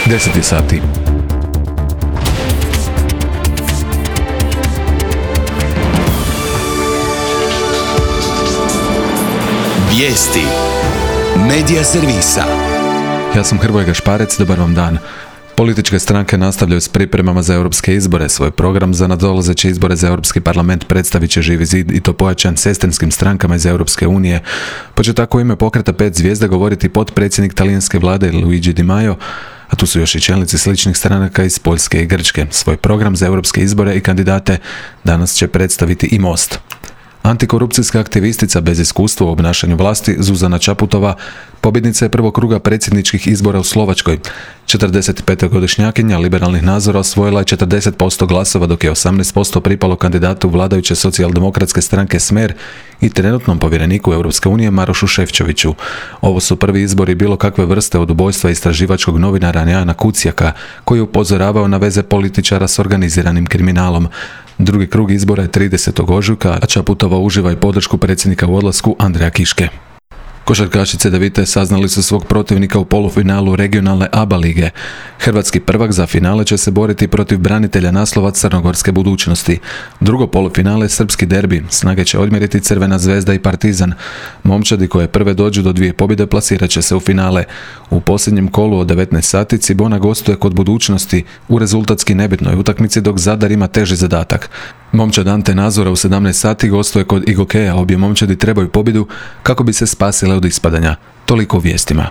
10 sati. Vijesti Medija servisa. Ja sam Hrvoje Gašparec, dobar vam dan. Političke stranke nastavljaju s pripremama za europske izbore. Svoj program za nadolazeće izbore za Europski parlament predstavit će Živi zid i to pojačan sestrinskim strankama iz Europske unije. Pa će tako u ime pokreta 5 zvijezda govoriti potpredsjednik talijanske vlade Luigi Di Maio, a tu su još i čelnici sličnih stranaka iz Poljske i Grčke. Svoj program za europske izbore i kandidate danas će predstaviti i Most. Antikorupcijska aktivistica bez iskustva u obnašanju vlasti Zuzana Čaputova pobjednica je prvog kruga predsjedničkih izbora u Slovačkoj. 45-godišnjakinja liberalnih nazora osvojila je 40% glasova, dok je 18% pripalo kandidatu vladajuće socijaldemokratske stranke Smer i trenutnom povjereniku Europske unije Marošu Šefčoviću. Ovo su prvi izbori bilo kakve vrste od ubojstva istraživačkog novinara Jana Kuciaka, koji je upozoravao na veze političara s organiziranim kriminalom. Drugi krug izbora je 30. ožujka, a Čaputova uživa i podršku predsjednika u odlasku Andreja Kiške. Košarkašice Cedevite saznali su svog protivnika u polufinalu regionalne ABA lige. Hrvatski prvak za finale će se boriti protiv branitelja naslova crnogorske budućnosti. Drugo polufinale je srpski derbi. Snage će odmjeriti Crvena zvezda i Partizan. Momčadi koje prve dođu do 2 pobjede plasirat će se u finale. U posljednjem kolu od 19 sati Cibona gostuje kod budućnosti u rezultatski nebitnoj utakmici, dok Zadar ima teži zadatak. Momčad Ante Nazora u 17 sati gostuje kod Igokeja. Obje momčadi trebaju pobjedu kako bi se spasile od ispadanja. Toliko u vijestima.